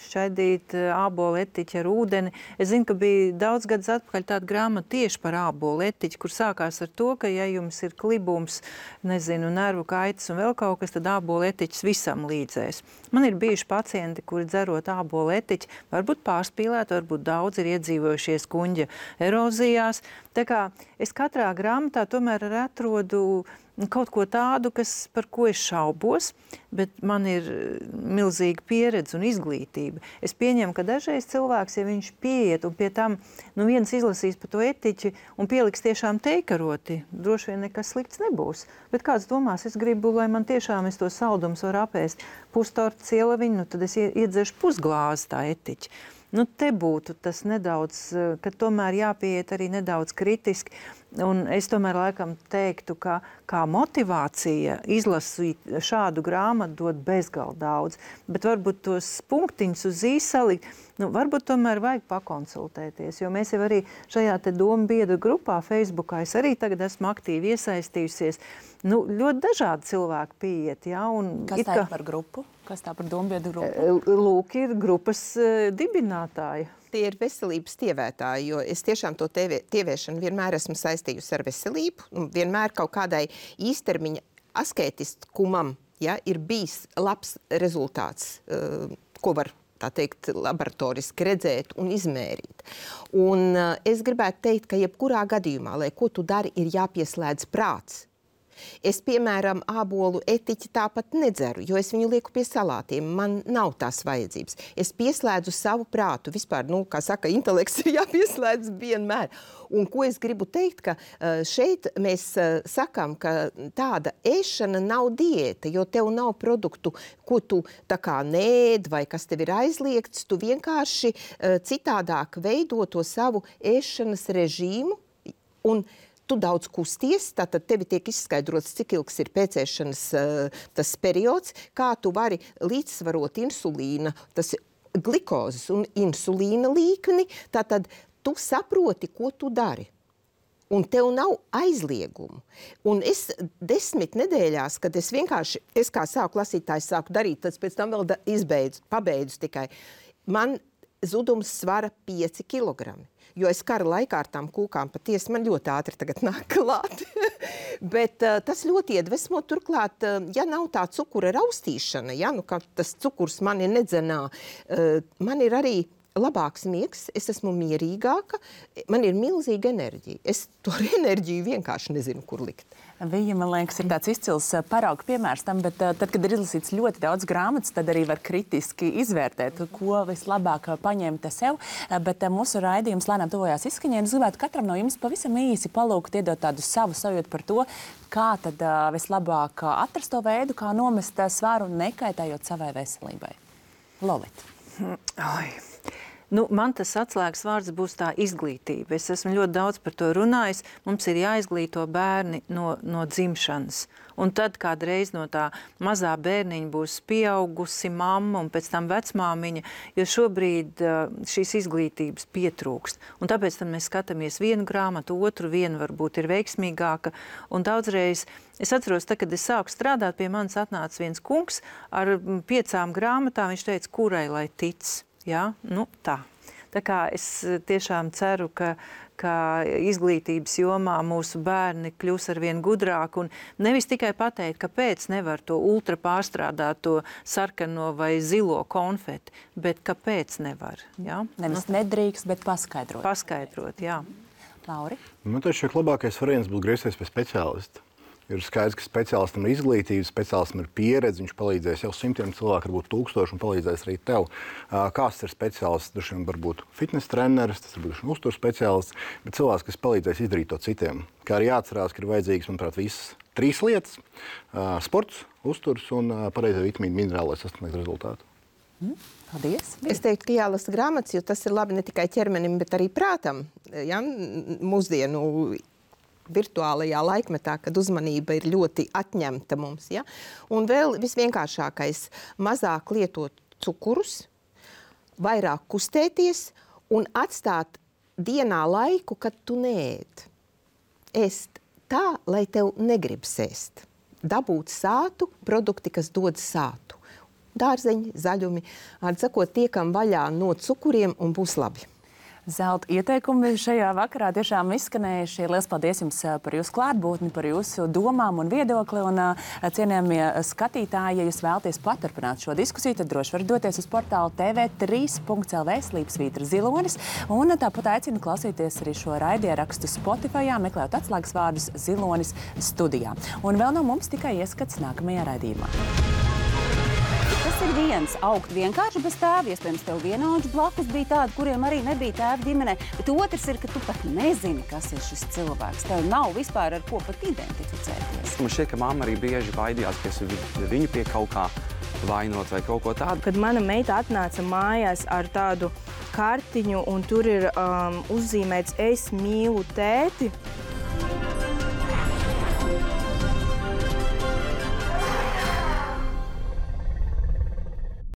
šķaidīt ābolu etiķi ar ūdeni. Es zinu, ka bija daudz gadus atpakaļ tāda grāmata tieši par ābolu etiķi, kur sākās ar to, ka, ja jums ir klibums, nezinu, nervu kaitas un vēl kaut kas, tad ābolu etiķis visam līdzēs. Man ir bijuši pacienti, kuri dzerot ābolu etiķi, varbūt pārspīlēt, varbūt daudz ir iedzīvojušies kuņģa erozijās. Tā kā es katrā grāmatā tomēr atrodu kaut ko tādu, kas, par ko es šaubos, bet man ir milzīga pieredze un izglītība. Es pieņemu, ka dažreiz cilvēks, ja viņš pieiet un pie tam, nu viens izlasīs par to etiķi un pieliks tiešām teikaroti, droši vien nekas slikts nebūs. Bet kāds domās, es gribu, lai man tiešām es to saldums var apēst pustorta cielaviņu, nu tad es iedzeršu pusglāzi tā etiķi. Nu, te būtu tas nedaudz, ka tomēr jāpieiet arī nedaudz kritiski. Un es tomēr laikam teiktu, ka kā motivācija izlasīt šādu grāmatu dod bezgalīgi daudz. Bet varbūt tos punktiņus uz ī salikt, nu, varbūt tomēr vajag pakonsultēties. Jo mēs jau arī šajā te domu biedru grupā Facebookā, es arī tagad esmu aktīvi iesaistījusies. Nu, ļoti dažādi cilvēki pieiet, jā. Un Kas tā ir par grupu? Kas tā par domu biedru grupu? Lūk, ir grupas uh, dibinātāji. Tie ir veselības tievētāji, jo es tiešām to tievē, tievēšanu vienmēr esmu saistījusi ar veselību. Un vienmēr kaut kādai īstermiņa asketiskumam, ja, ir bijis labs rezultāts, uh, ko var tā teikt, laboratoriski redzēt un izmērīt. Un uh, es gribētu teikt, ka jebkurā gadījumā, lai ko tu dari, ir jāpieslēdz prāts. Es, piemēram, ābolu etiķi tāpat nedzeru, jo es viņu lieku pie salātiem. Man nav tās vajadzības. Es pieslēdzu savu prātu. Vispār, nu, kā saka, intelekts ir jāpieslēdz vienmēr. Un ko es gribu teikt, ka šeit mēs sakām, ka tāda ēšana nav diēta, jo tev nav produktu, ko tu tā kā nēd vai kas tev ir aizliegts. Tu vienkārši citādāk veido to savu ēšanas režīmu un tu daudz kusties, tātad tevi tiek izskaidrots, cik ilgs ir pēcēšanas uh, tas periods, kā tu vari līdzsvarot insulīna, tas glikozes un insulīna līkni, tātad tu saproti, ko tu dari. Un tev nav aizliegumu. Un es desmit nedēļās, kad es vienkārši, es kā sāku lasītājs sāku darīt, tad pēc tam vēl da, izbeidzu, pabeidzu tikai, man zudums svara pieci kilogrami. Jo es kara laikā ar tām kūkām patiesi man ļoti ātri tagad nāk klāt. Bet uh, tas ļoti iedvesmo. Turklāt, uh, ja nav tā cukura raustīšana, ja, nu, ka tas cukurs mani nedzenā, uh, man ir arī labāks miegs, es esmu mierīgāka, man ir milzīga enerģija. Es to enerģiju vienkārši nezinu, kur likt. Vija, man liekas, ir tāds izcils parauga piemērs tam, bet tad, kad ir izlasīts ļoti daudz grāmatas, tad arī var kritiski izvērtēt, ko vislabāk paņemt sev. Bet mūsu raidījums lēnām tuvojās izskaņai. Es gribētu katram no jums pavisam īsi palūgt, iedot tādu savu sajūtu par to, kā tad vislabāk atrast to veidu, kā nomest svaru, nekaitējot savai veselībai. Lolita. Ai. Nu, man tas atslēgas vārds būs tā izglītība. Es esmu ļoti daudz par to runājis. Mums ir jāizglīto bērni no, no dzimšanas. Un tad kādreiz no tā mazā bērniņa būs pieaugusi mamma un pēc tam vecmāmiņa, jo šobrīd uh, šīs izglītības pietrūkst. Un tāpēc tad mēs skatāmies vienu grāmatu, otru, vienu varbūt ir veiksmīgāka. Un daudzreiz, es atceros, tā, kad es sāku strādāt, pie manis atnāca viens kungs ar piecām grāmatām, viņš teica, kurai lai tic. Jā, nu tā. Tā kā es tiešām ceru, ka, ka izglītības jomā mūsu bērni kļūs arvien gudrāk un nevis tikai pateikt, kāpēc nevar to ultra pārstrādāto sarkano vai zilo konfeti, bet kāpēc nevar. Jā? Nevis nu, nedrīkst, bet paskaidrot. Paskaidrot, jā. Lauri? Man taču labākais variants būtu griezties pie speciālista. Ir skaidrs, ka speciālistam ir izglītība, speciālistam ir pieredze, viņš palīdzēs jau simtiem cilvēku, varbūt tūkstoši, un palīdzēs arī tev. Kāds ir speciālists? Dažs varbūt fitness treneris, tas ir būtu uzturs speciālists, bet cilvēks, kas palīdzēs izdarīt to citiem. Kā arī jāatcerās, ka ir vajadzīgas, manuprāt, visas trīs lietas - sports, uzturs un pareizie vitamīni, minerāli, lai sasniegtu rezultātu. Mm, paldies! Es teiktu, ka jālasa grāmatas, jo tas ir labi ne tikai ķermenim, bet arī prātam. Ja? Mūsdienu virtuālajā laikmetā, kad uzmanība ir ļoti atņemta mums. Ja? Un vēl visvienkāršākais - mazāk lietot cukurus, vairāk kustēties un atstāt dienā laiku, kad tu neēd. Ēst tā, lai tev negribas ēst. Dabūt sātu, produkti, kas dod sātu. Dārzeņi, zaļumi, atsakot, tiekam vaļā no cukuriem un būs labi. Zelta ieteikumi šajā vakarā tiešām izskanējuši. Liels paldies jums par jūsu klātbūtni, par jūsu domām un viedokli. Un, cienījamie skatītāji, ja jūs vēlaties paturpināt šo diskusiju, tad droši varat doties uz portālu T V trīs punkts L V slīpsvītra zilonis. Un tāpat aicinu klausīties arī šo raidierakstu Spotifyā, meklējot atslēgas vārdus Zilonis studijā. Un vēl no mums tikai ieskats nākamajā raidījumā. Tas ir viens - augt vienkārši bez tēva. Iespējams, tev vienaudži blakus bija tādi, kuriem arī nebija tēva ģimenē. Bet otrs ir, ka tu pat nezini, kas ir šis cilvēks. Tev nav vispār ar ko pat identificēties. Man šķiet, ka mamma arī bieži baidījās, ka es viņu pie kaut kā vainot vai kaut ko tādu. Kad mana meita atnāca mājās ar tādu kartiņu un tur ir um, uzzīmēts es mīlu tēti,